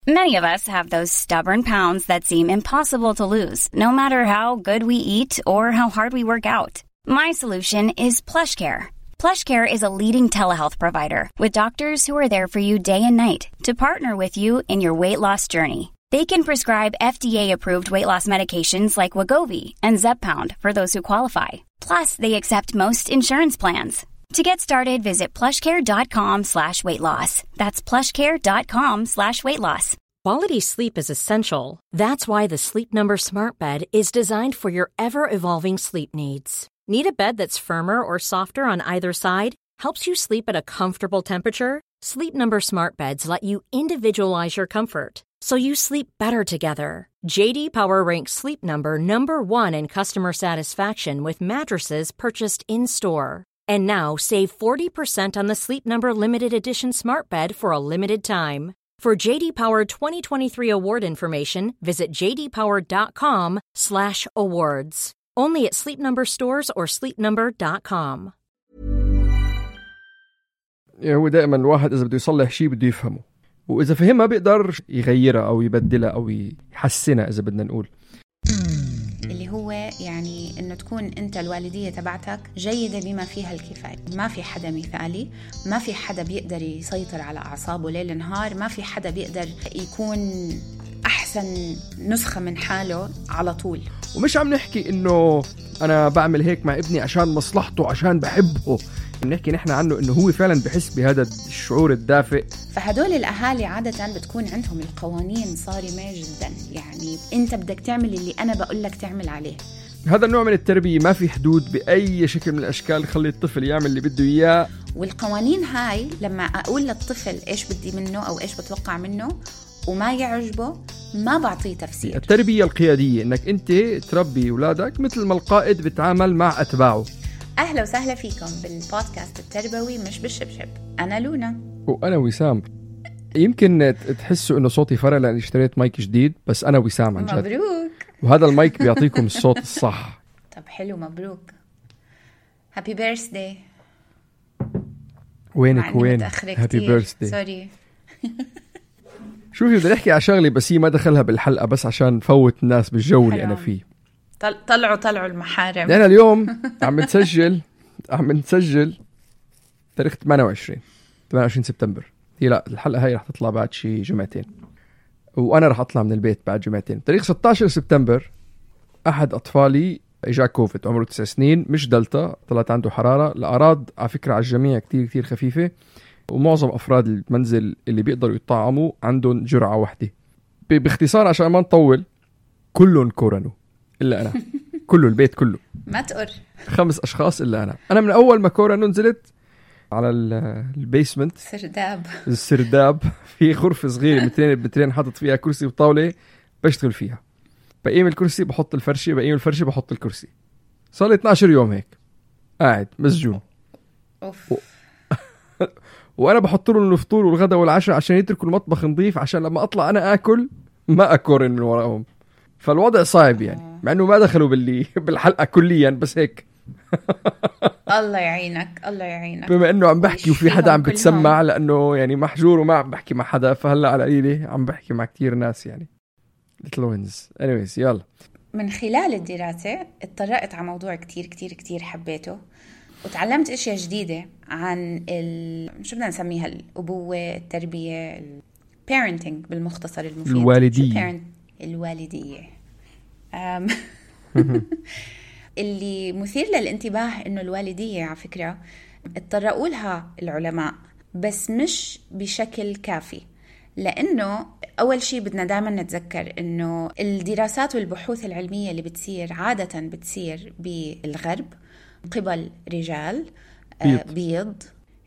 Many of us have those stubborn pounds that seem impossible to lose, no matter how good we eat or how hard we work out. My solution is PlushCare. PlushCare is a leading telehealth provider with doctors who are there for you day and night to partner with you in your weight loss journey. They can prescribe FDA-approved weight loss medications like Wegovy and Zepbound for those who qualify. Plus, they accept most insurance plans. To get started, visit plushcare.com/weightloss. That's plushcare.com/weightloss. Quality sleep is essential. That's why the Sleep Number Smart Bed is designed for your ever-evolving sleep needs. Need a bed that's firmer or softer on either side? Helps you sleep at a comfortable temperature? Sleep Number Smart Beds let you individualize your comfort, so you sleep better together. J.D. Power ranks Sleep Number #1 in customer satisfaction with mattresses purchased in-store. And now, save 40% on the Sleep Number Limited Edition Smart Bed for a limited time. For J.D. Power 2023 award information, visit jdpower.com/awards. Only at Sleep Number stores or sleepnumber.com. هو دائما الواحد إذا بده يصلح شيء بده يفهمه، وإذا فهمها بيقدر يغيرها أو يبدلها أو يحسنها إذا بدنا نقول. اللي هو يعني إنه تكون أنت الوالدية تبعتك جيدة بما فيها الكفاية. ما في حدا مثالي، ما في حدا بيقدر يسيطر على أعصابه ليل نهار، ما في حدا بيقدر يكون أحسن نسخة من حاله على طول. ومش عم نحكي إنه أنا بعمل هيك مع ابني عشان مصلحته عشان بحبه، بنحكي نحن عنه إنه هو فعلا بحس بهذا الشعور الدافئ. فهدول الأهالي عادة بتكون عندهم القوانين صارمة جدا، يعني أنت بدك تعمل اللي أنا بقول لك تعمل عليه. هذا النوع من التربية ما في حدود بأي شكل من الأشكال، خلي الطفل يعمل اللي بده إياه. والقوانين هاي لما أقول للطفل إيش بدي منه أو إيش بتوقع منه وما يعجبه ما بعطيه تفسير. التربية القيادية إنك أنت تربي أولادك مثل ما القائد بتعامل مع أتباعه. أهلا وسهلا فيكم بالبودكاست التربوي مش بالشبشب. أنا لونا وأنا وسام. يمكن تحسوا إنه صوتي فرق لأني اشتريت مايك جديد، بس أنا وسام عن جد. مبروك. وهذا المايك بيعطيكم الصوت الصح. طب حلو، مبروك. هابي بيرثداي. وينك وين؟ هابي بيرثداي. سوري. شوفي بدي نحكي على شغلة بس هي ما دخلها بالحلقة، بس عشان نفوت الناس بالجو اللي أنا فيه. طلعوا المحارم. لأن اليوم عم نسجل تاريخ 28 سبتمبر. هي لا الحلقة هاي رح تطلع بعد شي جمعتين، وأنا رح أطلع من البيت بعد جمعتين. تاريخ 16 سبتمبر أحد أطفالي إجا كوفيد، عمره 9 سنين، مش دلتا، طلعت عنده حرارة. الأعراض على فكرة على الجميع كتير خفيفة، ومعظم أفراد المنزل اللي بيقدروا يطعموا عندهم جرعة واحدة. باختصار عشان ما نطول، كلهم كورونو إلا أنا. كله البيت كله ما تقر 5 أشخاص إلا أنا من أول ما كورونو نزلت على البيسمنت السرداب في غرفة صغيرة مترين حاطط فيها كرسي وطاولة بشتغل فيها. بقيم الكرسي بحط الفرشة، بقيم الفرشة بحط الكرسي. صار لي 12 يوم هيك قاعد مسجون. وانا بحط لهم الفطور والغداء والعشاء عشان يتركوا المطبخ نظيف، عشان لما اطلع انا اكل ما اكورن من وراهم. فالوضع صعب يعني، مع انه ما دخلوا بالحلقة كليا، بس هيك. الله يعينك. بما انه عم بحكي وفي حدا عم بتسمع، لانه يعني محجور وما عم بحكي مع حدا، فهلا على قليلة عم بحكي مع كتير ناس يعني. anyways يلا. من خلال الدراسة اتطرقت على موضوع كتير حبيته، وتعلمت اشياء جديدة عن شو بدنا نسميها، الأبوة، التربية، parenting بالمختصر المفيد. الوالدية. اللي مثير للانتباه إنه الوالدية على فكرة اتطرقوا لها العلماء بس مش بشكل كافي، لأنه أول شيء بدنا دائما نتذكر إنه الدراسات والبحوث العلمية اللي بتصير عادة بتصير بالغرب قبل رجال بيض،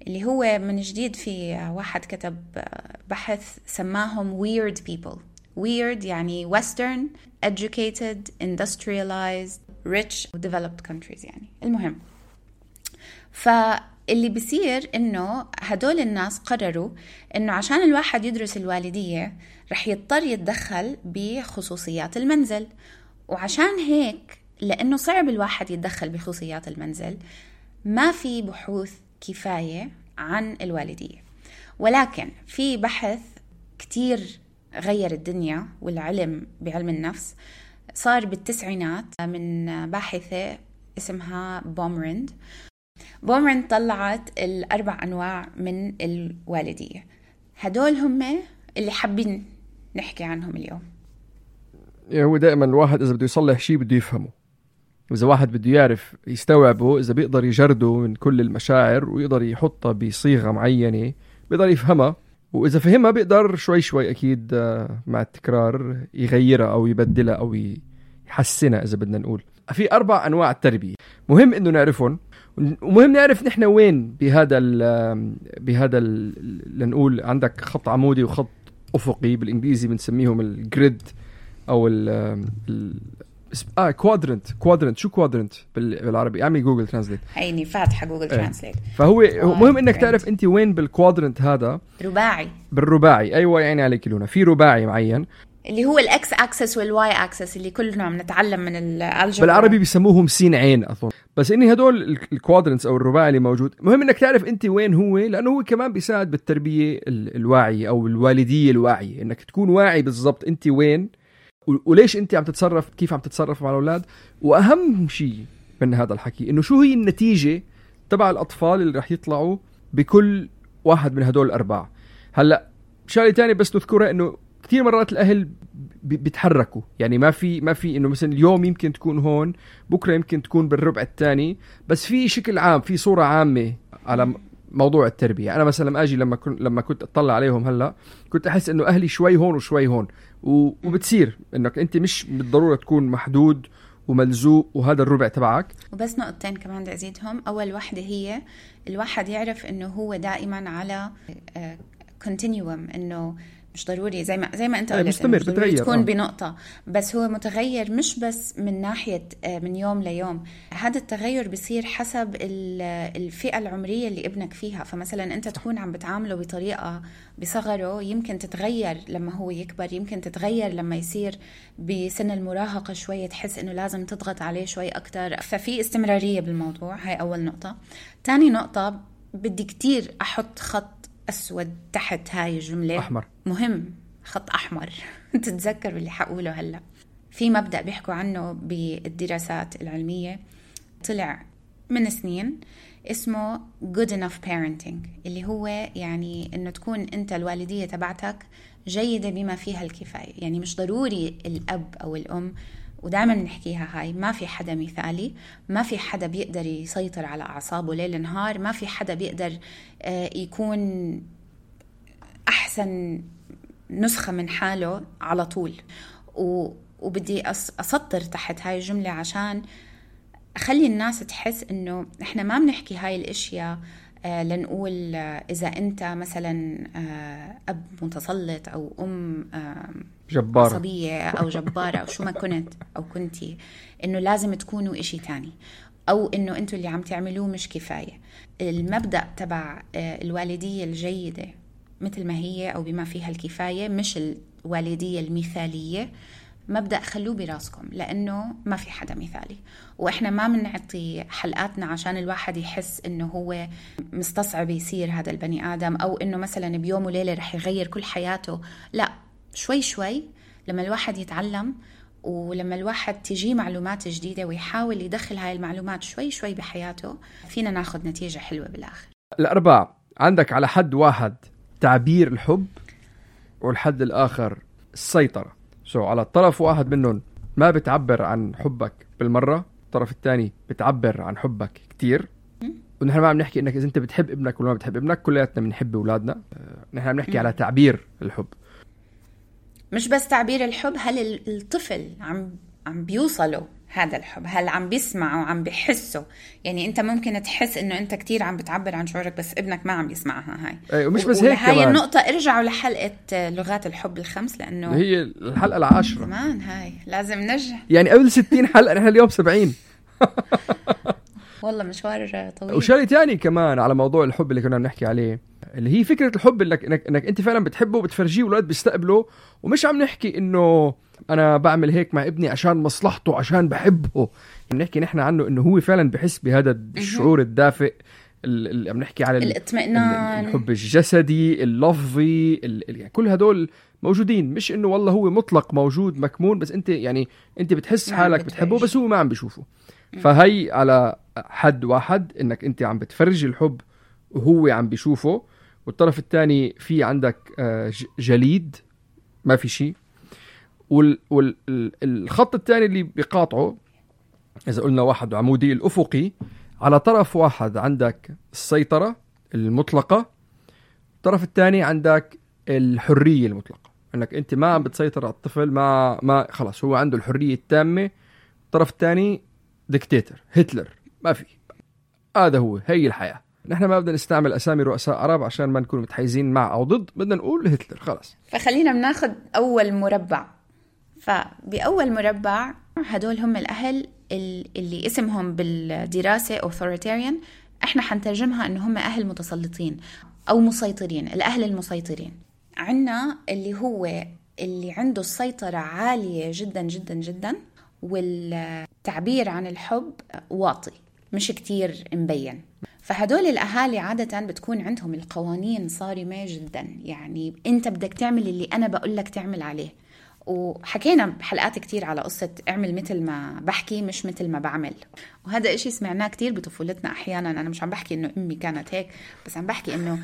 اللي هو من جديد في واحد كتب بحث سماهم weird people. weird يعني western educated industrialized rich developed countries يعني. المهم، فاللي بيصير إنه هدول الناس قرروا إنه عشان الواحد يدرس الوالدية رح يضطر يتدخل بخصوصيات المنزل، وعشان هيك لأنه صعب الواحد يتدخل بخصوصيات المنزل ما في بحوث كفاية عن الوالدية. ولكن في بحث كتير غير الدنيا والعلم بعلم النفس صار بالتسعينات من باحثة اسمها بومرند. طلعت 4 أنواع من الوالدية. هدول هم اللي حابين نحكي عنهم اليوم. هو دائما الواحد إذا بده يصلح شيء بده يفهمه، وإذا واحد بده يعرف يستوعبه، إذا بيقدر يجرده من كل المشاعر ويقدر يحطها بصيغة معينة بيقدر يفهمها، وإذا فهمها بيقدر شوي شوي أكيد مع التكرار يغيرها أو يبدلها أو يحسنها. إذا بدنا نقول في 4 أنواع التربية مهم إنه نعرفهم، ومهم نعرف نحن وين بهذا لنقول عندك خط عمودي وخط أفقي، بالإنجليزي بنسميهم الجريد أو كوادرنت. شو كوادرنت بالعربي؟ اعمل جوجل ترانسليت. هيني فاتحه جوجل ترانسليت. فهو مهم انك تعرف انت وين بالكوادرنت هذا. بالرباعي ايوه، يعني عليك لونه في رباعي معين اللي هو الاكس اكسس والواي اكسس اللي كلنا بنتعلم من الالجبرا. بالعربي بيسموهم سين عين اظن، بس اني هدول الكوادرنتس او الرباعي اللي موجود مهم انك تعرف انت وين هو، لانه هو كمان بيساعد بالتربيه الواعيه او الوالديه الواعيه، انك تكون واعي بالضبط انت وين وليش انت عم تتصرف، كيف عم تتصرف مع الاولاد. واهم شيء من هذا الحكي انه شو هي النتيجه تبع الاطفال اللي رح يطلعوا بكل واحد من هدول 4. هلا شغله ثانيه بس نذكرها، انه كثير مرات الاهل بيتحركوا، يعني ما في انه مثلا اليوم يمكن تكون هون، بكره يمكن تكون بالربع الثاني، بس في شكل عام، في صوره عامه على موضوع التربيه. انا مثلا لما اجي لما كنت اطلع عليهم هلا كنت احس انه اهلي شوي هون وشوي هون، وبتصير انك انت مش بالضروره تكون محدود وملزوق وهذا الربع تبعك. وبس نقطتين كمان بدي ازيدهم. اول واحده هي الواحد يعرف انه هو دائما على كونتينيوم، انه مش ضروري زي ما انت قلت مستمر تكون بنقطة، بس هو متغير مش بس من ناحية من يوم ليوم. هذا التغير بيصير حسب الفئة العمرية اللي ابنك فيها. فمثلا انت تكون عم بتعامله بطريقة بصغره يمكن تتغير لما هو يكبر، يمكن تتغير لما يصير بسن المراهقة شوية تحس انه لازم تضغط عليه شوي اكتر. ففي استمرارية بالموضوع. هاي اول نقطة. تاني نقطة بدي كتير احط خط أسود تحت هاي الجملة أحمر. مهم، خط أحمر. تتذكر اللي حقوله هلأ. في مبدأ بيحكوا عنه بالدراسات العلمية طلع من سنين اسمه good enough parenting، اللي هو يعني إنه تكون أنت الوالدية تبعتك جيدة بما فيها الكفاية. يعني مش ضروري الأب أو الأم، ودائما نحكيها هاي، ما في حدا مثالي، ما في حدا بيقدر يسيطر على أعصابه ليل نهار، ما في حدا بيقدر يكون أحسن نسخة من حاله على طول. وبدي أسطر تحت هاي الجملة عشان أخلي الناس تحس إنه إحنا ما بنحكي هاي الأشياء لنقول إذا أنت مثلا أب متسلط أو أم جبارة عصبية أو جبارة أو شو ما كنت أو كنتي، إنه لازم تكونوا إشي تاني، أو إنه أنتوا اللي عم تعملوه مش كفاية. المبدأ تبع الوالدية الجيدة مثل ما هي أو بما فيها الكفاية، مش الوالدية المثالية. مبدأ خلوه براسكم، لأنه ما في حدا مثالي، وإحنا ما بنعطي حلقاتنا عشان الواحد يحس إنه هو مستصعب يصير هذا البني آدم، أو إنه مثلا بيوم وليلة رح يغير كل حياته. لا، شوي شوي لما الواحد يتعلم، ولما الواحد تجي معلومات جديدة ويحاول يدخل هاي المعلومات شوي شوي بحياته، فينا ناخد نتيجة حلوة بالآخر. 4 عندك على حد واحد تعبير الحب، والحد الآخر السيطرة. على الطرف واحد منهم ما بتعبر عن حبك بالمرة، الطرف الثاني بتعبر عن حبك كتير. ونحن ما عم نحكي انك اذا انت بتحب ابنك ولا ما بتحب ابنك، كلياتنا بنحب اولادنا. نحن عم نحكي على تعبير الحب، مش بس تعبير الحب. هل الطفل عم بيوصله هذا الحب؟ هل عم بيسمعه وعم بيحسه؟ يعني انت ممكن تحس انه انت كتير عم بتعبر عن شعورك، بس ابنك ما عم يسمعها. هاي ومش بس هيك هاي كمان. النقطة ارجعوا لحلقة لغات الحب ال5، لانه هي الحلقة 10 زمان. هاي لازم نرجع، يعني قبل 60 حلقة، نحن اليوم 70. والله مشوار طويل. وشيء تاني كمان على موضوع الحب اللي كنا بنحكي عليه، اللي هي فكرة الحب انك انت فعلا بتحبه وبتفرجيه والولاد بيستقبله، ومش عم نحكي انه انا بعمل هيك مع ابني عشان مصلحته، عشان بحبه. بنحكي نحن عنه انه هو فعلا بحس بهذا الشعور الدافئ عم نحكي على الاطمئنان، الحب الجسدي، اللفظي، يعني كل هدول موجودين. مش انه والله هو مطلق موجود مكمون، بس انت يعني انت بتحس حالك بتحبه بس هو ما عم بيشوفه. فهي على حد واحد انك انت عم بتفرج الحب وهو عم بيشوفه، والطرف الثاني في عندك جليد ما في شيء. والخط الثاني اللي بيقاطعه، إذا قلنا واحد عمودي الأفقي، على طرف واحد عندك السيطرة المطلقة، الطرف الثاني عندك الحرية المطلقة، انك انت ما عم بتسيطر على الطفل، ما خلاص هو عنده الحرية التامة. الطرف الثاني ديكتاتور، هتلر، ما في. هذا هي الحياة. نحن ما بدنا نستعمل أسامي رؤساء عرب عشان ما نكون متحيزين مع أو ضد، بدنا نقول هتلر خلاص. فخلينا بناخد أول مربع. فبأول مربع هدول هم الأهل اللي اسمهم بالدراسة authoritarian، احنا حنترجمها انه هم أهل متسلطين أو مسيطرين، الأهل المسيطرين. عنا اللي هو اللي عنده السيطرة عالية جدا جدا جدا، والتعبير عن الحب واطي مش كتير مبين. فهدول الأهالي عادة بتكون عندهم القوانين صارمة جدا، يعني أنت بدك تعمل اللي أنا بقول لك تعمل عليه. وحكينا بحلقات كتير على قصة اعمل مثل ما بحكي مش مثل ما بعمل، وهذا إشي سمعناه كتير بطفولتنا أحيانا. أنا مش عم بحكي إنه أمي كانت هيك، بس عم بحكي إنه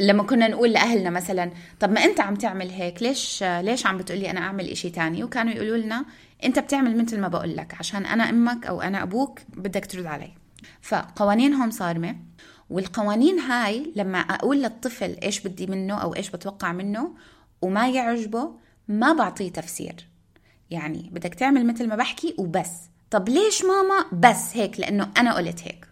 لما كنا نقول لأهلنا مثلا طب ما أنت عم تعمل هيك، ليش عم بتقولي أنا أعمل إشي تاني؟ وكانوا يقولوا لنا أنت بتعمل مثل ما بقول لك عشان أنا أمك أو أنا أبوك بدك ترد علي. فقوانينهم صارمة، والقوانين هاي لما أقول للطفل إيش بدي منه أو إيش بتوقع منه وما يعجبه ما بعطيه تفسير، يعني بدك تعمل مثل ما بحكي وبس. طب ليش ماما؟ بس هيك لأنه أنا قلت هيك.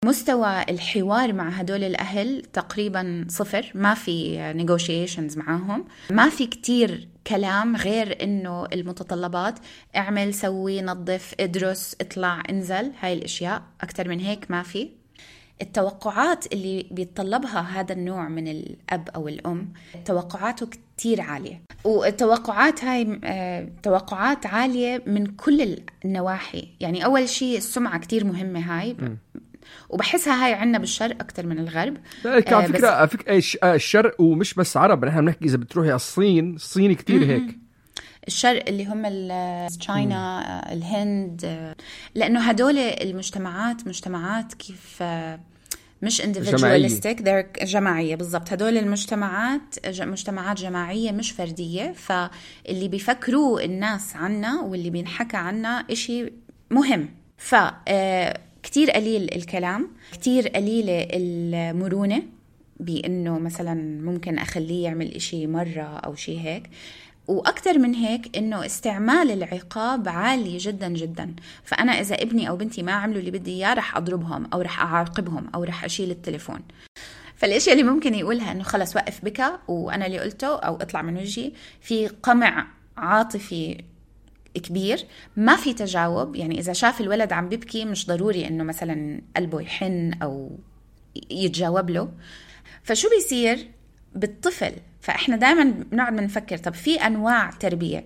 مستوى الحوار مع هدول الأهل تقريبا صفر، ما في negotiations معاهم، ما في كتير كلام غير إنه المتطلبات اعمل سوي نظف ادرس اطلع انزل، هاي الأشياء. أكتر من هيك ما في. التوقعات اللي بيتطلبها هذا النوع من الأب أو الأم توقعاته كتير عالية، والتوقعات هاي توقعات عالية من كل النواحي. يعني أول شيء السمعة كتير مهمة هاي، وبحسها هاي عنا بالشرق أكتر من الغرب. على فكرة الشرق ومش بس عرب، نحن بنحكي إذا بتروحي على الصين كتير هيك. الشرق اللي هم تشاينا، الهند، لأنه هدول المجتمعات مجتمعات كيف مش individualistic، they're جماعية بالضبط. هدول مجتمعات جماعية مش فردية، فاللي بيفكروا الناس عنا واللي بينحكى عنا إشي مهم. كتير قليل الكلام، كتير قليلة المرونة، بأنه مثلا ممكن أخليه يعمل إشي مرة أو شي هيك. وأكتر من هيك إنه استعمال العقاب عالي جدا جدا. فأنا إذا ابني أو بنتي ما عملوا اللي بدي إياه رح أضربهم أو رح أعاقبهم أو رح أشيل التليفون. فالأشياء اللي ممكن يقولها إنه خلص وقف بكى وأنا اللي قلته أو اطلع من وجهي، في قمع عاطفي كبير، ما في تجاوب. يعني إذا شاف الولد عم بيبكي مش ضروري إنه مثلا قلبه يحن أو يتجاوب له. فشو بيصير بالطفل؟ فإحنا دائما بنقعد نفكر طب في أنواع تربية،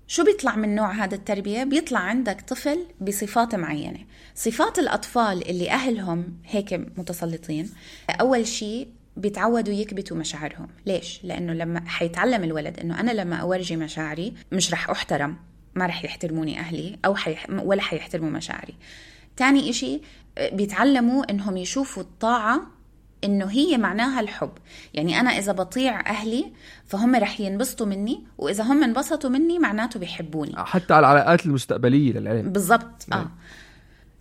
شو بيطلع من نوع هذا التربية؟ بيطلع عندك طفل بصفات معينة. صفات الأطفال اللي أهلهم هيك متسلطين، أول شيء بيتعودوا يكبتوا مشاعرهم. ليش؟ لأنه لما حيتعلم الولد إنه أنا لما أورجي مشاعري مش رح أحترم، ما رح يحترموني أهلي أو ولا حيحترموا مشاعري. تاني إشي بيتعلموا إنهم يشوفوا الطاعة إنه هي معناها الحب. يعني أنا إذا بطيع أهلي فهم رح ينبسطوا مني، وإذا هم انبسطوا مني معناته بيحبوني، حتى على العلاقات المستقبلية للعلم. بالضبط.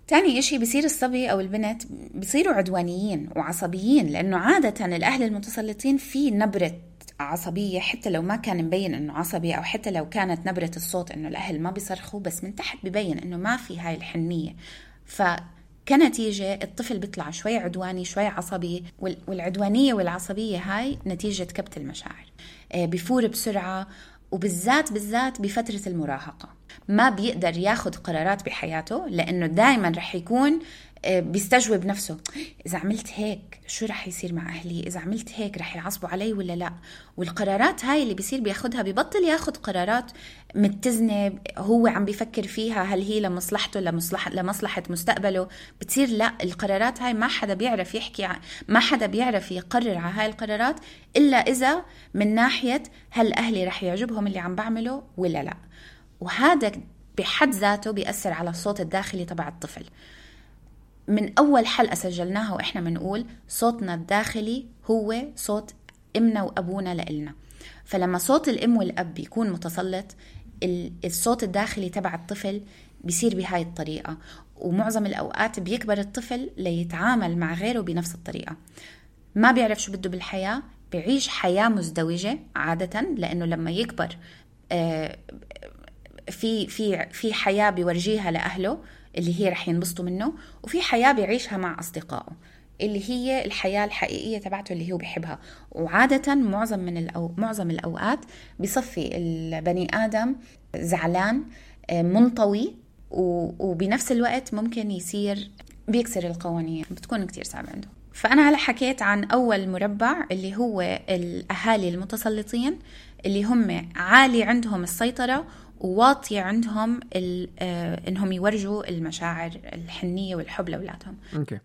تاني إشي بيصير الصبي أو البنت بيصيروا عدوانيين وعصبيين، لأنه عادة الأهل المتسلطين في نبرة عصبية، حتى لو ما كان مبين إنه عصبي، أو حتى لو كانت نبرة الصوت إنه الأهل ما بيصرخوا، بس من تحت بيبين إنه ما في هاي الحنية. كنتيجة الطفل بيطلع شوي عدواني شوي عصبي، والعدوانية والعصبية هاي نتيجة كبت المشاعر. بيفور بسرعة، وبالذات بفترة المراهقة. ما بيقدر ياخد قرارات بحياته، لأنه دايما رح يكون بيستجوب نفسه، إذا عملت هيك شو رح يصير مع أهلي، إذا عملت هيك رح يعصبوا علي ولا لا. والقرارات هاي اللي بيصير بياخدها بيبطل ياخد قرارات متزنة هو عم بيفكر فيها هل هي لمصلحته لمصلحة مستقبله. بتصير لا، القرارات هاي ما حدا بيعرف يحكي ما حدا بيعرف يقرر على هاي القرارات إلا إذا من ناحية هل أهلي رح يعجبهم اللي عم بعمله ولا لا. وهذا بحد ذاته بيأثر على الصوت الداخلي تبع الطفل. من أول حلقة سجلناها وإحنا منقول صوتنا الداخلي هو صوت إمنا وأبونا لإلنا. فلما صوت الإم والأب بيكون متسلط، الصوت الداخلي تبع الطفل بيصير بهاي الطريقة، ومعظم الأوقات بيكبر الطفل ليتعامل مع غيره بنفس الطريقة. ما بيعرف شو بده بالحياة، بيعيش حياة مزدوجة عادة، لأنه لما يكبر في حياة بيورجيها لأهله اللي هي رح ينبسطوا منه، وفي حياة بيعيشها مع أصدقائه اللي هي الحياة الحقيقية تبعته اللي هو بيحبها. وعادة معظم الأوقات بيصفي البني آدم زعلان منطوي، وبنفس الوقت ممكن يصير بيكسر القوانين، بتكون كتير صعبة عنده. فأنا هلا حكيت عن أول مربع اللي هو الأهالي المتسلطين، اللي هم عالي عندهم السيطرة وواطي عندهم إنهم يورجوا المشاعر الحنية والحب لأولادهم. أوكي.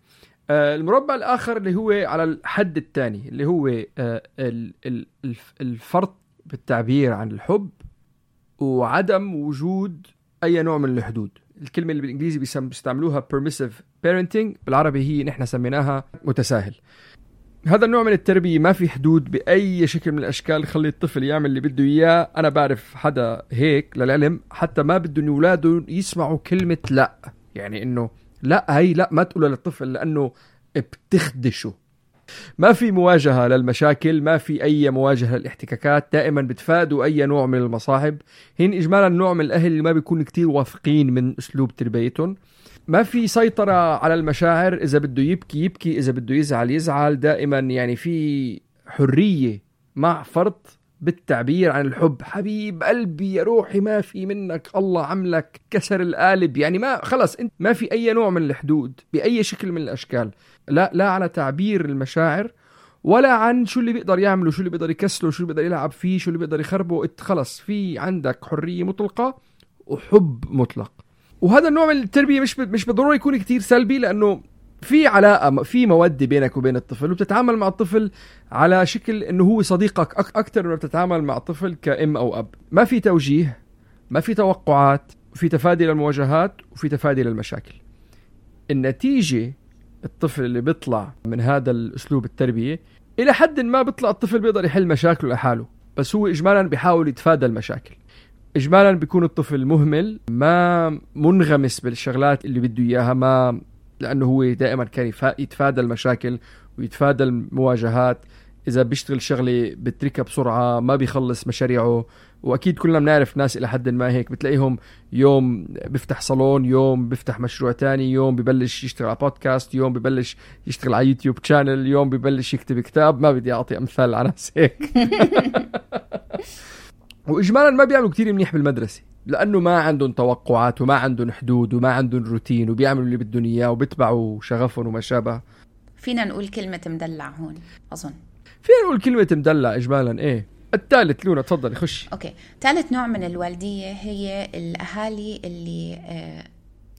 المربع الآخر اللي هو على الحد الثاني، اللي هو الفرط بالتعبير عن الحب وعدم وجود أي نوع من الحدود. الكلمة اللي بالإنجليزي بيستعملوها permissive parenting، بالعربي هي نحن سميناها متساهل. هذا النوع من التربية ما في حدود بأي شكل من الأشكال، خلي الطفل يعمل اللي بده إياه. أنا بعرف حدا هيك للعلم حتى ما بده إن أولاده يسمعوا كلمة لا، يعني إنه لا، هي لا ما تقولها للطفل لأنه بتخدشه. ما في مواجهة للمشاكل، ما في أي مواجهة للاحتكاكات، دائما بتفادوا أي نوع من المصاحب. هين إجمالا نوع من الأهل اللي ما بيكون كتير واثقين من أسلوب تربيتهم. ما في سيطرة على المشاعر، إذا بده يبكي، إذا بده يزعل. دائما يعني في حرية مع فرط بالتعبير عن الحب. حبيب قلبي يا روحي ما في منك، الله عملك كسر القالب، يعني ما خلص انت ما في أي نوع من الحدود بأي شكل من الأشكال، لا على تعبير المشاعر ولا عن شو اللي بيقدر يعمله، شو اللي بيقدر يكسله، شو اللي بيقدر يلعب فيه، شو اللي بيقدر يخربه. خلص في عندك حرية مطلقة وحب مطلق. وهذا النوع من التربية مش بالضرورة يكون كتير سلبي، لأنه في علاقة، في مودة بينك وبين الطفل، وبتتعامل مع الطفل على شكل إنه هو صديقك أكتر من بتتعامل مع الطفل كأم أو أب. ما في توجيه، ما في توقعات، في تفادي للمواجهات وفي تفادي للمشاكل. النتيجة الطفل اللي بيطلع من هذا الأسلوب التربية إلى حد ما بيطلع الطفل بيقدر يحل مشاكله لحاله، بس هو إجمالا بيحاول يتفادى المشاكل. إجمالا بيكون الطفل مهمل، ما منغمس بالشغلات اللي بده إياها، ما لأنه هو دائما كان يتفادى المشاكل ويتفادى المواجهات. إذا بيشتغل شغلة بتركها بسرعة، ما بيخلص مشاريعه. وأكيد كلنا بنعرف ناس إلى حد ما هيك، بتلاقيهم يوم بيفتح صالون، يوم بيفتح مشروع تاني، يوم ببلش يشتغل على بودكاست، يوم ببلش يشتغل على يوتيوب شانل، يوم ببلش يكتب كتاب. ما بدي أعطي أمثال على ناس هيك. وإجمالا ما بيعملوا كتير منيح بالمدرسة، لأنه ما عندهم توقعات وما عندهم حدود وما عندهم روتين، وبيعملوا اللي بدهم إياه وبيتبعوا شغفهم وما شابه. فينا نقول كلمة مدلع هون، أظن فينا نقول كلمة مدلع إجمالا. إيه الثالث لونا تفضل خش. أوكي. ثالث نوع من الوالدية هي الأهالي اللي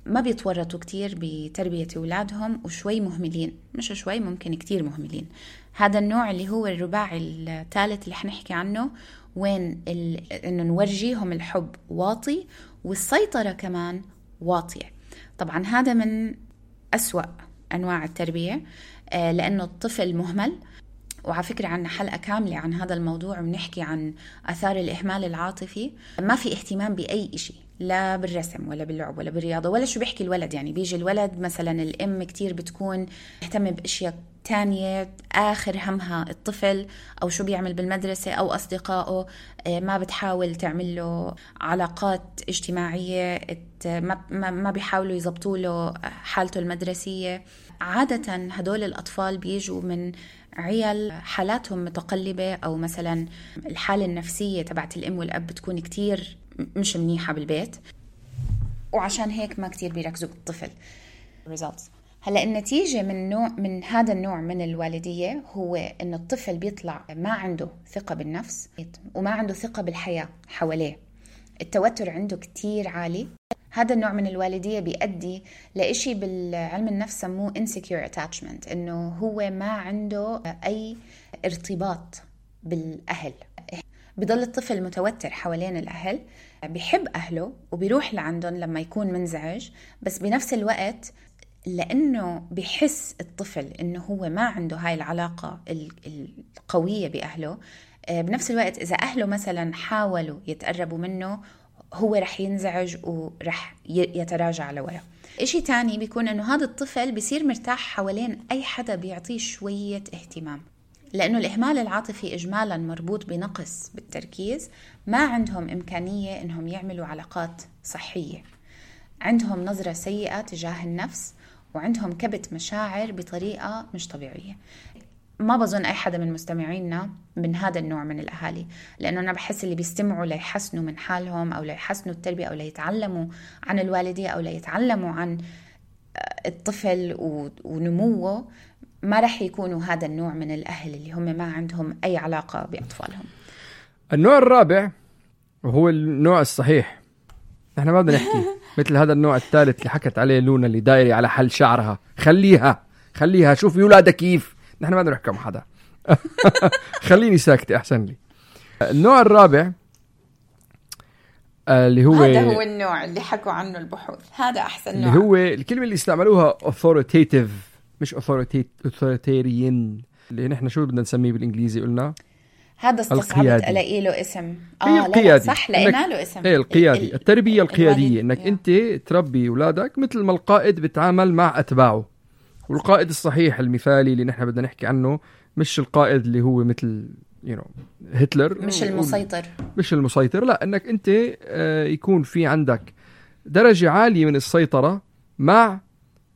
ما بيتورطوا كتير بتربية أولادهم وشوي مهملين، مش شوي، ممكن كتير مهملين. هذا النوع اللي هو الرباعي الثالث اللي حنحكي عنه، وين إنه نورجيهم الحب واطي والسيطرة كمان واطية. طبعا هذا من أسوأ أنواع التربية، لأنه الطفل مهمل. وعلى فكرة عنا حلقة كاملة عن هذا الموضوع، وبنحكي عن آثار الإهمال العاطفي. ما في اهتمام بأي إشي، لا بالرسم ولا باللعب ولا بالرياضة ولا شو بيحكي الولد. يعني بيجي الولد مثلا، الأم كتير بتكون تهتم بأشياء تانية، آخر همها الطفل أو شو بيعمل بالمدرسة أو أصدقائه. ما بتحاول تعمل له علاقات اجتماعية، ما بيحاولوا يزبطوا له حالته المدرسية. عادة هدول الأطفال بيجوا من عيال حالاتهم متقلبة، أو مثلا الحالة النفسية تبعت الأم والأب بتكون كتير مش منيحة بالبيت، وعشان هيك ما كتير بيركزوا بالطفل. results. هلأ النتيجة من هذا النوع من الوالدية هو إنه الطفل بيطلع ما عنده ثقة بالنفس وما عنده ثقة بالحياة حواليه، التوتر عنده كتير عالي. هذا النوع من الوالدية بيؤدي لإشي بالعلم النفس سموه insecure attachment، إنه هو ما عنده أي ارتباط بالأهل. بضل الطفل متوتر حوالين الأهل، بيحب أهله وبيروح لعندهم لما يكون منزعج، بس بنفس الوقت لأنه بيحس الطفل إنه هو ما عنده هاي العلاقة القوية بأهله، بنفس الوقت إذا أهله مثلا حاولوا يتقربوا منه هو رح ينزعج ورح يتراجع لورا. إشي تاني بيكون إنه هذا الطفل بيصير مرتاح حوالين أي حدا بيعطيه شوية اهتمام، لأنه الإهمال العاطفي إجمالا مربوط بنقص بالتركيز. ما عندهم إمكانية إنهم يعملوا علاقات صحية، عندهم نظرة سيئة تجاه النفس، وعندهم كبت مشاعر بطريقة مش طبيعية. ما بظن أي حدا من مستمعينا من هذا النوع من الأهالي، لأنه أنا بحس اللي بيستمعوا ليحسنوا من حالهم أو ليحسنوا التربية أو ليتعلموا عن الوالدية أو ليتعلموا عن الطفل ونموه ما رح يكونوا هذا النوع من الأهل اللي هم ما عندهم أي علاقة بأطفالهم. النوع الرابع وهو النوع الصحيح، نحن ما بدنا نحكي مثل هذا النوع الثالث اللي حكت عليه لونا اللي دايري على حل شعرها، خليها شوفي أولادها كيف. نحن ما بدنا نحكي مع حدا خليني ساكتة أحسن لي. النوع الرابع اللي هو هذا هو النوع اللي حكوا عنه البحوث، هذا أحسن نوع، اللي هو الكلمة اللي استعملوها authoritative مش authoritarian، اللي نحن شو بدنا نسميه بالإنجليزي؟ قلنا هذا استصعبت ألاقي له اسم. لا صح، لقينا له اسم. القيادي، التربية القيادية، إنك أنت تربي أولادك مثل ما القائد بتعامل مع أتباعه. والقائد الصحيح المثالي اللي نحن بدنا نحكي عنه مش القائد اللي هو مثل هتلر، مش المسيطر، لا، إنك أنت يكون في عندك درجة عالية من السيطرة مع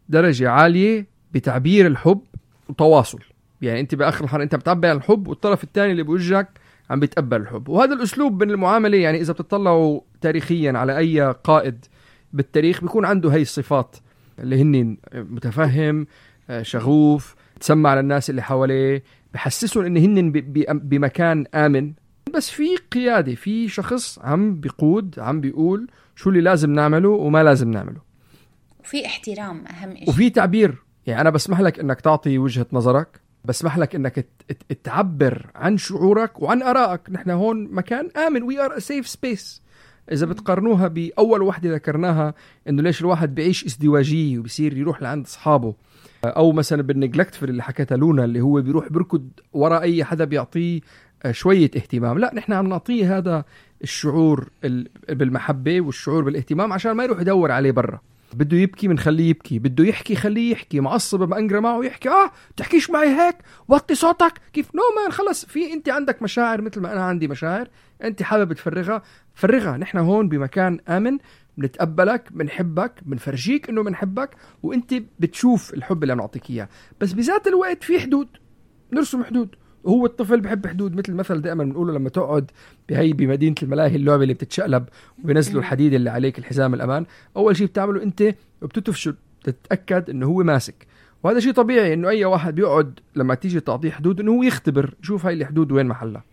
درجة عالية بتعبير الحب وتواصل. يعني انت باخر الحلقه انت بتعبر عن الحب والطرف الثاني اللي بوجهك عم بيتقبل الحب. وهذا الاسلوب من المعامله، يعني اذا بتطلعوا تاريخيا على اي قائد بالتاريخ بيكون عنده هاي الصفات اللي هن متفهم، شغوف، تسمع على الناس اللي حواليه، بحسسهم ان هن بمكان امن. بس في قياده، في شخص عم بيقود، عم بيقول شو اللي لازم نعمله وما لازم نعمله، وفي احترام اهم شيء، وفي تعبير. يعني انا بسمح لك انك تعطي وجهة نظرك، بسمح لك انك تعبر عن شعورك وعن ارائك. نحن هون مكان امن، we are a safe space. اذا بتقارنوها باول وحده ذكرناها انه ليش الواحد بيعيش ازدواجيه وبصير يروح لعند اصحابه، او مثلا بالنجلكتفل اللي حكتها لونا اللي هو بيروح بركض وراء اي حدا بيعطيه شويه اهتمام، لا، نحن عم نعطيه هذا الشعور بالمحبه والشعور بالاهتمام عشان ما يروح يدور عليه برا. بده يبكي منخليه يبكي، بده يحكي خليه يحكي، معصب بأنقر معه يحكي. تحكيش معي هيك، وطي صوتك كيف. نو مان، خلص، في انت عندك مشاعر مثل ما انا عندي مشاعر، انت حابب تفرغها. نحن هون بمكان آمن، بنتقبلك، بنحبك، بنفرجيك انه بنحبك، وانت بتشوف الحب اللي بنعطيك اياه. بس بذات الوقت في حدود، نرسم حدود. وهو الطفل بحب حدود، مثل المثل دائما بنقوله لما تقعد بمدينة الملاهي، اللعبة اللي بتتشقلب وبينزلوا الحديد اللي عليك، الحزام الأمان، أول شيء بتعمله أنت بتتفشل تتأكد أنه هو ماسك. وهذا شيء طبيعي، أنه أي واحد بيقعد لما تيجي تعطيه حدود أنه هو يختبر يشوف هاي الحدود وين محلها.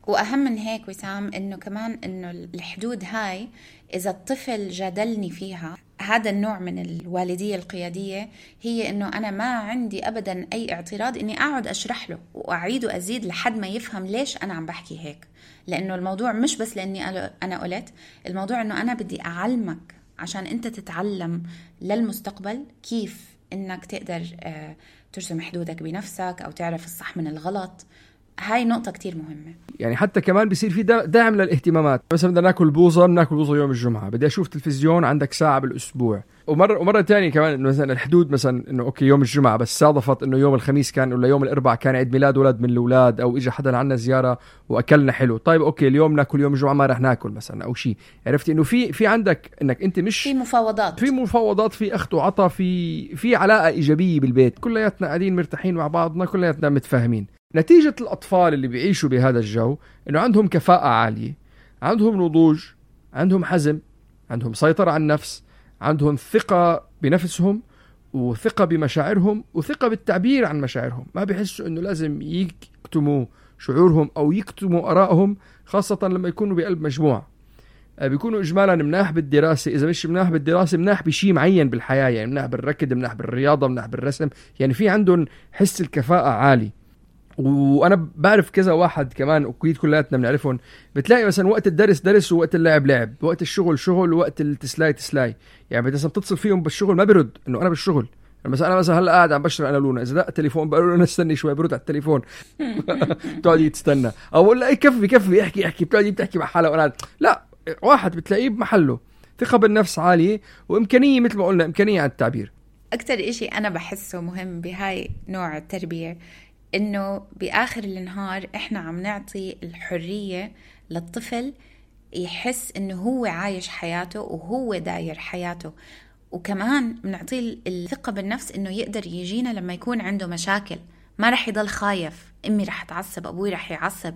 وأهم من هيك وسام، أنه كمان أنه الحدود هاي إذا الطفل جادلني فيها، هذا النوع من الوالدية القيادية هي أنه أنا ما عندي أبدا أي اعتراض أني أقعد أشرح له وأعيد وأزيد لحد ما يفهم ليش أنا عم بحكي هيك. لأنه الموضوع مش بس لأني أنا قلت، الموضوع أنه أنا بدي أعلمك عشان أنت تتعلم للمستقبل كيف أنك تقدر ترسم حدودك بنفسك أو تعرف الصح من الغلط. هاي نقطة كتير مهمة. يعني حتى كمان بيصير في دعم للاهتمامات. مثلا بدنا ناكل بوظة يوم الجمعة، بدي أشوف تلفزيون، عندك ساعة بالأسبوع. ومرة تانية كمان مثلا الحدود، مثلا إنه أوكي يوم الجمعة بس صادفت إنه يوم الخميس كان ولا يوم الأربعاء كان عيد ميلاد ولد من الأولاد، أو إجا حدا عنا زيارة وأكلنا حلو. طيب أوكي اليوم ناكل، يوم الجمعة ما رح ناكل مثلا أو شيء. عرفتي إنه في عندك إنك أنت مش في مفاوضات، في أخذ وعطا، في علاقة إيجابية بالبيت، كلياتنا قاعدين مرتاحين مع بعضنا، كلياتنا متفاهمين. نتيجة الأطفال اللي بيعيشوا بهذا الجو إنه عندهم كفاءة عالية، عندهم نضوج، عندهم حزم، عندهم سيطرة على النفس، عندهم ثقة بنفسهم وثقة بمشاعرهم وثقة بالتعبير عن مشاعرهم. ما بيحسوا انه لازم يكتموا شعورهم او يكتموا ارائهم، خاصة لما يكونوا بقلب مجموعة. بيكونوا اجمالا مناح بالدراسة، اذا مش مناح بالدراسة مناح بشيء معين بالحياة، يعني مناح بالركض، مناح بالرياضة، مناح بالرسم، يعني في عندهم حس الكفاءة عالي. وانا بعرف كذا واحد كمان اكيد كلاتنا بنعرفهم، بتلاقي مثلا وقت الدرس درس ووقت اللعب لعب، وقت الشغل شغل ووقت التسلاي تسلاي. يعني بس بتتصل فيهم بالشغل ما برد انه انا بالشغل، انا مثلا هلا قاعد عم بشرب انا لونا، اذا دق التليفون بقول له انا استني شوي، برد على التليفون بتقعد تستنى، او بقول له اي كفي احكي بتحكي مع حالها وانا لا. واحد بتلاقيه بمحله، ثقة بالنفس عالية وامكانية مثل ما قلنا امكانية على التعبير. اكتر اشي انا بحسه مهم بهاي نوع التربية إنه بآخر النهار إحنا عم نعطي الحرية للطفل يحس إنه هو عايش حياته وهو داير حياته، وكمان بنعطيه الثقة بالنفس إنه يقدر يجينا لما يكون عنده مشاكل، ما رح يضل خايف أمي رح تعصب، أبوي رح يعصب،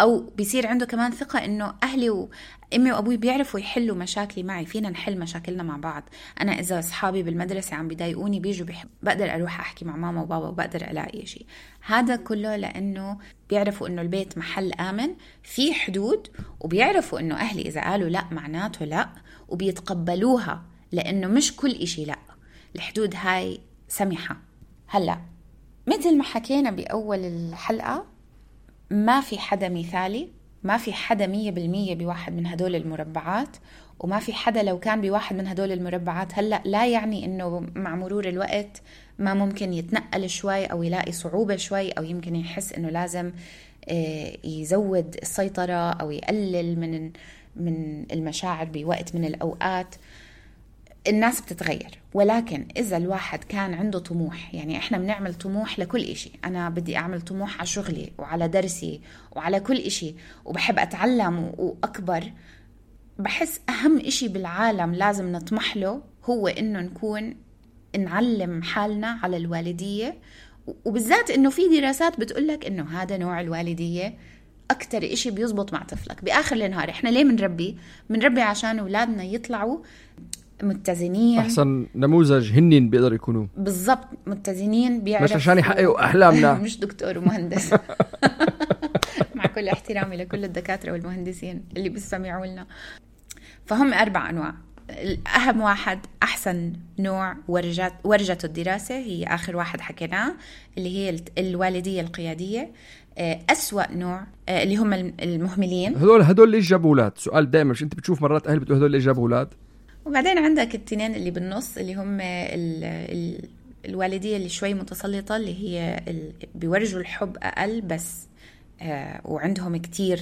أو بيصير عنده كمان ثقة إنه أهلي وأمي وأبوي بيعرفوا يحلوا مشاكلي معي، فينا نحل مشاكلنا مع بعض. أنا إذا أصحابي بالمدرسة عم بيضايقوني بيجوا بقدر أروح أحكي مع ماما وبابا وبقدر ألاقي شيء. هذا كله لأنه بيعرفوا إنه البيت محل آمن في حدود، وبيعرفوا إنه أهلي إذا قالوا لا معناته لا، وبيتقبلوها لأنه مش كل إشي لا، الحدود هاي سمحة. هلأ مثل ما حكينا بأول الحلقة، ما في حدا مثالي، ما في حدا 100% بواحد من هدول المربعات، وما في حدا لو كان بواحد من هدول المربعات هلأ لا يعني إنه مع مرور الوقت ما ممكن يتنقل شوي أو يلاقي صعوبة شوي، أو يمكن يحس إنه لازم يزود السيطرة أو يقلل من المشاعر بوقت من الأوقات. الناس بتتغير، ولكن إذا الواحد كان عنده طموح، يعني إحنا بنعمل طموح لكل إشي، أنا بدي أعمل طموح على شغلي وعلى درسي وعلى كل إشي، وبحب أتعلم وأكبر. بحس أهم إشي بالعالم لازم نطمح له هو إنه نعلم حالنا على الوالدية، وبالذات إنه في دراسات بتقولك إنه هذا نوع الوالدية أكتر إشي بيزبط مع طفلك. بآخر النهار إحنا ليه منربي عشان أولادنا يطلعوا متزنين، احسن نموذج هنين بيقدر يكونوا بالضبط متزنين، بيعرفوا مش عشان يحققوا احلامنا مش دكتور ومهندس مع كل احترامي لكل الدكاتره والمهندسين اللي بيستمعوا لنا. فهم 4 أنواع. اهم واحد احسن نوع ورجته الدراسه هي اخر واحد حكيناه، اللي هي الوالديه القياديه. أسوأ نوع اللي هم المهملين. هدول اللي جابوا اولاد. سؤال دائما، مش انت بتشوف مرات اهل بتقول هدول اللي جابوا اولاد؟ وبعدين عندك التنين اللي بالنص اللي هم الوالدية اللي شوي متسلطة، اللي هي بيورجوا الحب أقل بس وعندهم كتير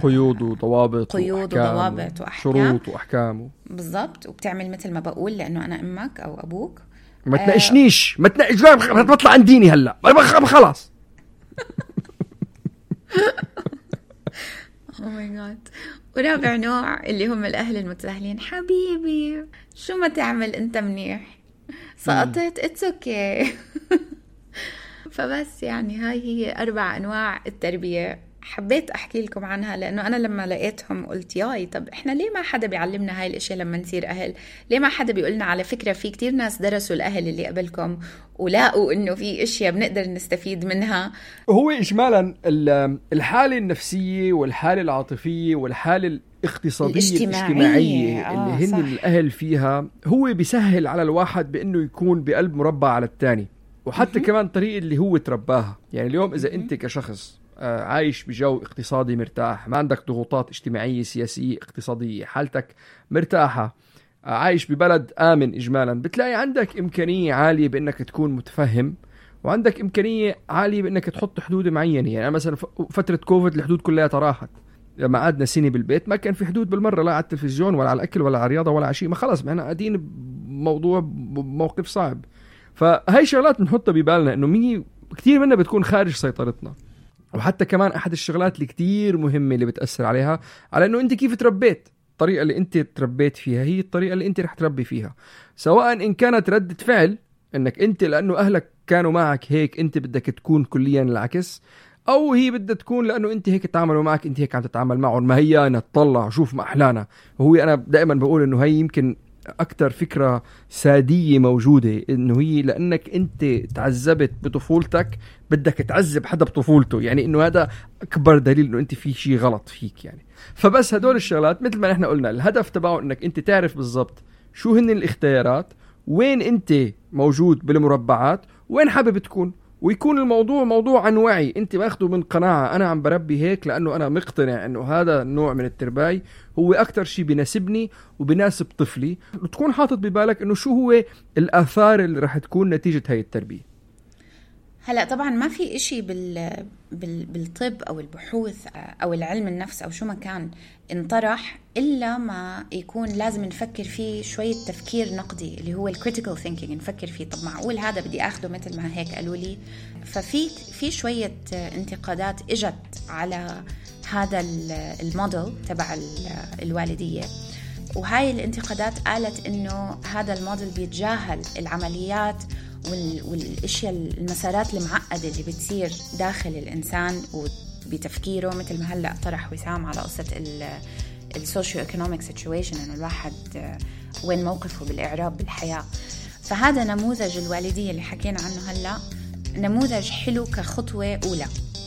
قيود وضوابط وأحكام، شروط وأحكام بالضبط. وبتعمل مثل ما بقول لأنه أنا أمك أو أبوك. ما تناقشنيش، ما بطلع عن ديني هلأ خلاص. Oh my God. ورابع نوع اللي هم الأهل المتساهلين. حبيبي شو ما تعمل أنت منيح، سقطت it's okay. فبس يعني هاي هي 4 أنواع التربية. حبيت أحكي لكم عنها لأنه أنا لما لقيتهم قلت ياي طب إحنا ليه ما حدا بيعلمنا هاي الأشياء لما نصير أهل؟ ليه ما حدا بيقولنا على فكرة في كتير ناس درسوا الأهل اللي قبلكم ولاقوا إنه في أشياء بنقدر نستفيد منها. هو إجمالا الحالة النفسية والحالة العاطفية والحالة الاقتصادية الاجتماعية اللي هن الأهل فيها هو بيسهل على الواحد بأنه يكون بقلب مربع على التاني، وحتى كمان طريقة اللي هو ترباها. يعني اليوم إذا أنت كشخص عايش بجو اقتصادي مرتاح، ما عندك ضغوطات اجتماعية سياسية اقتصادية، حالتك مرتاحة، عايش ببلد آمن إجمالا، بتلاقي عندك إمكانية عالية بأنك تكون متفهم، وعندك إمكانية عالية بأنك تحط حدود معينة. يعني مثلا فترة كوفيد الحدود كلها راحت، لما قعدنا سنة بالبيت ما كان في حدود بالمرة، لا على التلفزيون ولا على الأكل ولا على الرياضة ولا على شيء، ما خلص معنا قاعدين بموقف صعب. فهاي شغلات نحطها ببالنا إنه كتير منها بتكون خارج سيطرتنا. وحتى كمان أحد الشغلات اللي كتير مهمة اللي بتأثر عليها على إنه أنت كيف تربيت. الطريقة اللي أنت تربيت فيها هي الطريقة اللي أنت رح تربي فيها، سواء إن كانت ردة فعل إنك أنت لأنه أهلك كانوا معك هيك أنت بدك تكون كليا العكس، أو هي بدها تكون لأنه أنت هيك تعاملوا معك، أنت هيك عم تتعامل معهم، ما هي نتطلع شوف ما أحلانا. وهو أنا دائما بقول إنه هي يمكن أكتر فكرة سادية موجودة، إنه هي لأنك أنت تعذبت بطفولتك بدك تعذب حدا بطفولته، يعني إنه هذا أكبر دليل إنه أنت في شيء غلط فيك يعني. فبس هدول الشغلات مثل ما نحن قلنا الهدف تبعه إنك أنت تعرف بالضبط شو هن الاختيارات، وين أنت موجود بالمربعات، وين حابب تكون، ويكون الموضوع موضوع عن وعي. انت ماخده من قناعة انا عم بربي هيك لانه انا مقتنع انه هذا النوع من الترباية هو اكتر شيء بيناسبني وبيناسب طفلي، وتكون حاطط ببالك انه شو هو الاثار اللي رح تكون نتيجة هاي التربية. هلا طبعا ما في إشي بالطب أو البحوث أو العلم النفس أو شو ما كان انطرح إلا ما يكون لازم نفكر فيه شوية تفكير نقدي اللي هو الكريتيكال ثينكينج، نفكر فيه طب معقول هذا بدي أخده مثل ما هيك قالوا لي. ففي شوية انتقادات إجت على هذا الموديل تبع الوالدية، وهاي الانتقادات قالت إنه هذا الموديل بيتجاهل العمليات والاشياء المسارات المعقده اللي بتصير داخل الانسان وبتفكيره، مثل ما هلا طرح وسام على قصه السوشيو ايكونوميك سيتويشن، انه الواحد وين موقفه بالاعراب بالحياه. فهذا نموذج الوالديه اللي حكينا عنه هلا نموذج حلو كخطوه اولى.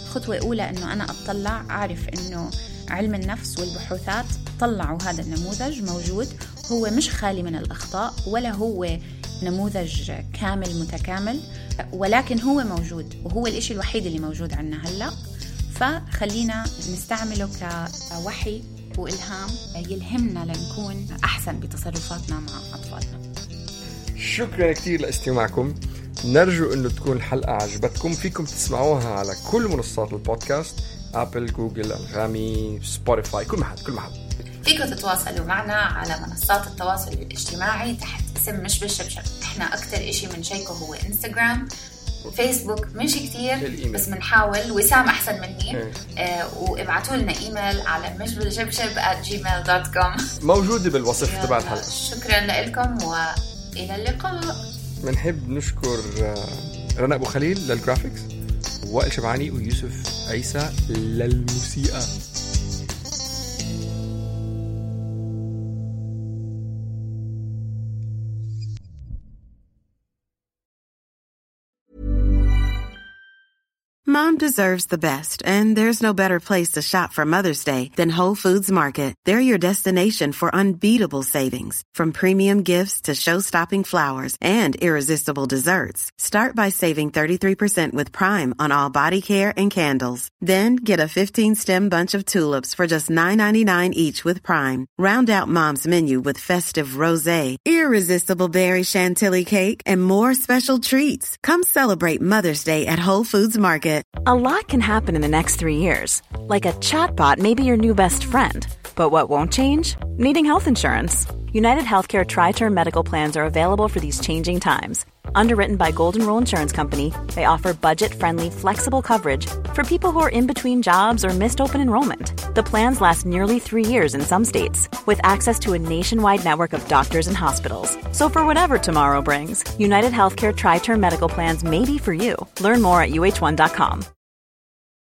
خطوه اولى انه انا اطلع اعرف انه علم النفس والبحوثات طلعوا هذا النموذج موجود، هو مش خالي من الاخطاء ولا هو نموذج كامل متكامل، ولكن هو موجود وهو الاشي الوحيد اللي موجود عنا هلأ. فخلينا نستعمله كوحي وإلهام يلهمنا لنكون أحسن بتصرفاتنا مع أطفالنا. شكرا كتير لاستماعكم، نرجو أنه تكون الحلقة عجبتكم. فيكم تسمعوها على كل منصات البودكاست، أبل، جوجل، أنغامي، سبوتيفاي، كل محل. فيكم تتواصلوا معنا على منصات التواصل الاجتماعي تحت اسم مش بالشبشب. احنا اكتر اشي منشيكه هو انستغرام، فيسبوك مش كتير بس منحاول، وسام احسن مني. وابعتوا لنا ايميل على mishbilshebsheb@gmail.com موجودة بالوصف تبع الحلقة. شكرا لكم والى اللقاء. منحب نشكر رنا أبو خليل للجرافيكس، وائل شبعاني ويوسف عيسى للموسيقى. Mom deserves the best, and there's no better place to shop for Mother's Day than Whole Foods Market. They're your destination for unbeatable savings, from premium gifts to show-stopping flowers and irresistible desserts. Start by saving 33% with Prime on all body care and candles. Then get a 15-stem bunch of tulips for just $9.99 each with Prime. Round out Mom's menu with festive rosé, irresistible berry chantilly cake, and more special treats. Come celebrate Mother's Day at Whole Foods Market. A lot can happen in the next 3 years. Like a chatbot may be your new best friend. But what won't change? Needing health insurance. United Healthcare Tri-Term Medical Plans are available for these changing times. Underwritten by Golden Rule Insurance Company, they offer budget-friendly, flexible coverage for people who are in between jobs or missed open enrollment. The plans last nearly 3 years in some states, with access to a nationwide network of doctors and hospitals. So for whatever tomorrow brings, United Healthcare Tri-Term Medical Plans may be for you. Learn more at uh1.com.